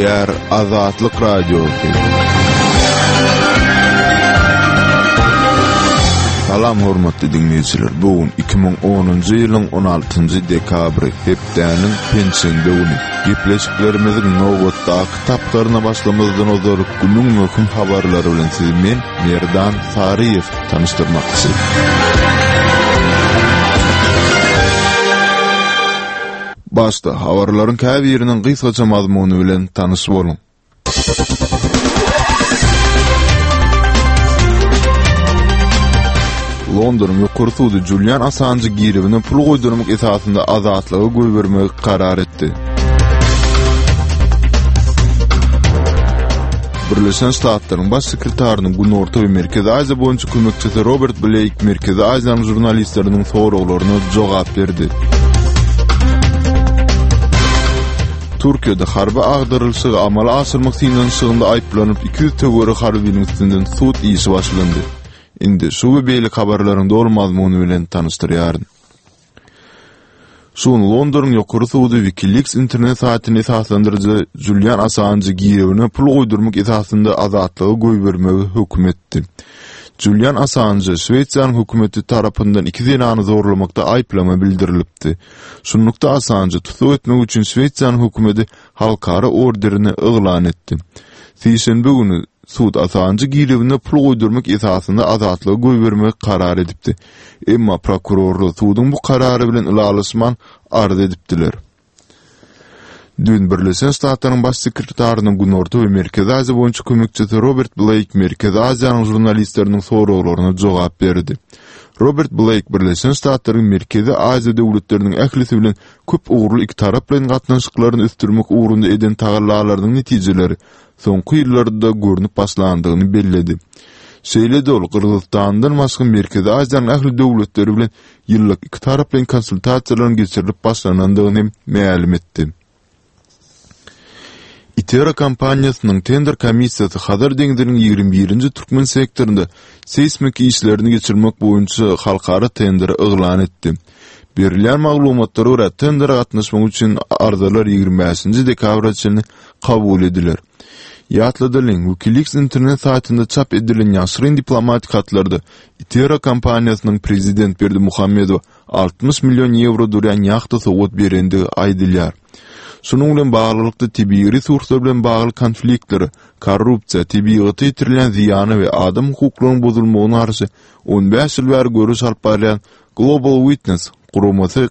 Gepleýär Azatlyk Radiosy. Salam hormatly diňleýjiler. Bu gün 2010-njy ýylyň 16-njy dekabry, hepdäniň penşenbe güni. Gepleşiklerimiziň nobatdaky tapgyryna başlamazdan ozal günüň möhüm habarlary bilen sizi men, Merdan Saryýew tanyşdyrmakçy. Başda habarlaryň käbiriniň gysgaça mazmuny bilen tanyş boluň. Londonyň ýokary sudy Julian Assanjy girewine pul goýdurmak esasynda azatlyga goýbermegi karar etdi. Birleşen Ştatlaryň Baş sekretarynyň Günorta we Merkezi Aziýa boýunça kömekçisi Robert Bleýk Merkezi Aziýanyň žurnalistleriniň soraglaryna jogap berdi. Türkiýede harby agdarylyşygy amala aşyrmak synanyşygynda aýyplanyp 200 töweregi harbynyň üstünden sud işi başlandy. Indi şu we beýleki habarlaryň doly mazmuny bilen tanyşdyrýaryn. Şu gün Londonyň ýokary sudy WikiLeaks internet saýtyny esaslandyryjy Julian Assanjy girewine pul goýdurmak esasynda azatlyga goýbermegi höküm etdi. Julian Assanjy Şwesiýanyň hökümeti tarapyndan iki zenany zorlamakda aýyplama bildirilipdi. Şunlukda Assanjy tussag etmek üçin Şwesiýanyň hökümeti halkara orderini yglan etdi. Sişenbe güni sud Assanjy girewine pul goýdurmak esasynda azatlyga goýbermegi karar edipdi. Emma prokurorlar suduň bu karary bilen ylalaşman arz edipdiler. Düýn Birleşen Ştatlaryň Baş sekretarynyň Günorta we Merkezi Aziýa boýunça kömekçisi Robert Bleýk Merkezi Aziýanyň žurnalistleriniň soraglaryna jogap berdi. Robert Bleýk Birleşen Ştatlaryň Merkezi Aziýa döwletleriniň ählisi bilen köp ugurly ikitaraplaýyn gatnaşyklaryny ösdürmek ugrunda eden tagallalarynyň netijeleri soňky ýyllarda görnüp başlandygyny belledi. Şeýle-de ol Gyrgyzystandan başga Merkezi Aziýanyň ähli döwletleri bilen ýyllyk ikitaraplaýyn konsultasiýalaryň geçirilip başlanandygyny hem mälim etdi. ITERA kompaniýasynyň tender komissiýasy Hazar deňziniň 21-nji türkmen sektorynda seýsmik işlerini geçirmek boýunça halkara tenderi yglan etdi. Berilýän maglumatlara görä, tendere gatnaşmak üçin arzalar 25-nji dekabra çenli kabul ediler. Ýatladalyň, WikiLeaks internet saýtynda çap edilen ýaşyryn diplomatik hatlarda ITERA kompaniýasynyň prezident Berdimuhamedowa 60 million ýewro durýan ýahta sowgat berendigi aýdylýar. Şunuň bilen baglylykda, tebigy resurslar bilen bagly konfliktlere, korrupsiýa, tebigata ýetirilýän zyýana we adam hukuklarynyň bozulmagyna garşy 15 ýyl bäri göreş alyp barýan Global Witness guramasy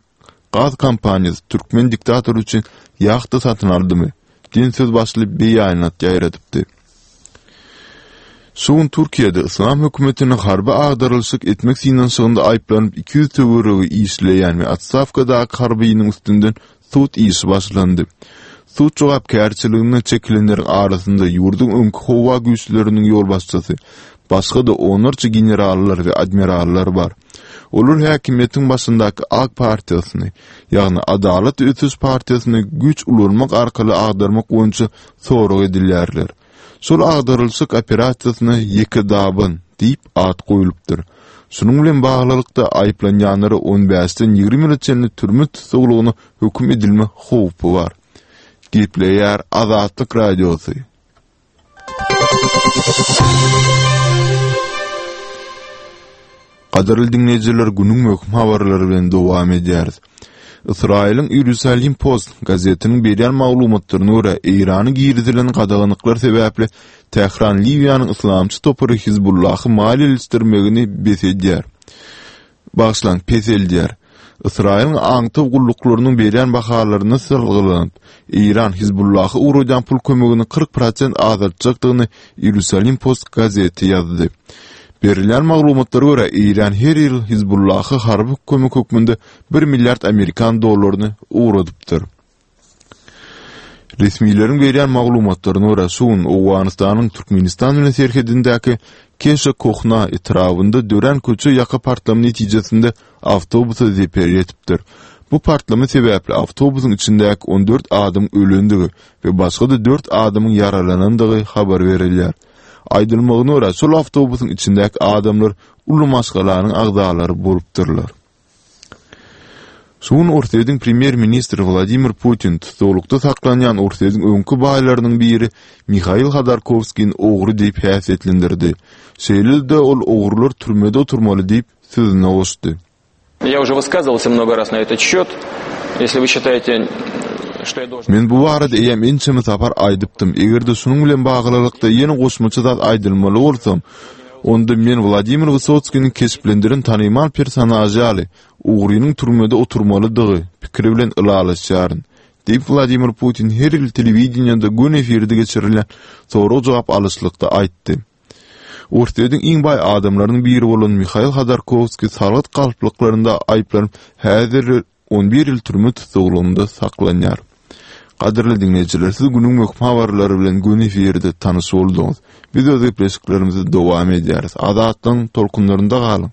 Gaz kompaniýasy türkmen diktatory üçin ýahta satyn aldymy? diýen söz başyly beýanat ýaýradypdy. Şu gün Türkiýede yslam hökümetine harby agdarylyşyk etmek synanyşygynda aýyplanyp 200 töweregi işleýän we otstawkadaky harbynyň üstünden sud işi başlandy. Sud jogapkärçiligine çekilenleriň arasynda ýurduň öňki howa güýçleriniň ýolbaşçysy, başga-da onlarça generallar we admirallar bar. Olar häkimiýetiň başyndaky Ak partiýasyny, ýagny Adalat we ösüş partiýasyny güýç ulanmak arkaly agdarmak boýunça sorag edilýärler. Şol agdarylyşyk operasiýasyna Ýekedaban diýip at goýlupdyr. Şunuň bilen baglylykda, aýyplanýanlara on bäşden 20 ýyla çenli türme tussaglygyna höküm edilme howpy bar. Gepleýär Azatlyk Radiosy. Gadyrly diňleýjiler, günüň möhüm habarlary bilen dowam edýäris. Ysraýylyň Iýerusalim Post gazetiniň berýän maglumatlaryna görä, Eýrana girizilen gadaganlyklar sebäpli Tähran Liwiýanyň yslamçy topary Hizbullahy maliýeleşdirmegini bes edýär. Bagyşlaň, peseldýär. Ysraýylyň aňtaw gulluklarynyň berýän bahalaryna salgylanyp, Eýran Hizbullaha ugradýan pul kömegini 40 prosent azaltjakdygyny Iýerusalim Post gazeti ýazdy. Berilýän maglumatlara görä, Eýran her ýyl Hizbullaha harby kömek hökmünde bir milliard amerikan dollaryny ugradypdyr. Resmileriň berýän maglumatlaryna görä, şu gün Owganystanyň Türkmenistan bilen serhedindäki Keşa Kohna etrabynda dörän köçe ýaka partlama netijesinde awtobusa zeper ýetipdir. Bu partlama sebäpli awtobusyň içindäki 14 adamyň ölendigi we başga-da dört adamyň ýaralanandygy habar berilýär. Aýdylmagyna görä, şol awtobusyň içindäki adamlar uly maşgalanyň agzalary bolupdyrlar. Şu gün Orsýetiň premýer-ministri Wladimir Putin tussaglykda saklanýan Orsýetiň öňki baýlarynyň biri Mihail Hodorkowskini ogry diýip häsiýetlendirdi. Şeýle-de ol ogrular türmede oturmaly diýip, sözüne goşdy. Я уже высказывался много раз на этот счет. Если вы считаете, что я должен... Men bu barada eýýäm ençeme sapar aýdypdym. Eger-de şunuň bilen baglylykda ýene goşmaça zat aýdylmaly bolsa, onda men Wladimir Wysotskiniň keşplendiren tanymal personažy ýaly, ogrynyň türmede oturmalydygy pikiri bilen ylalaşýaryn, diýip, Wladimir Putin her ýyl telewideniýede göni efirde geçirilýän sorag-jogap alyşlykda aýtdy. Orsýetiň iň baý adamlarynyň biri bolan Mihail Hodorkowskiý salgyt galplyklarynda aýyplanyp, häzir 11 ýyl türme tussaglygynda saklanýar. Gadyrly diňleýjiler, siz günüň möhüm habarlary bilen göni efirde tanyş bolduňyz. Biz öz gepleşiklerimizi dowam edýäris. Azatlygyň tolkunlarynda galyň!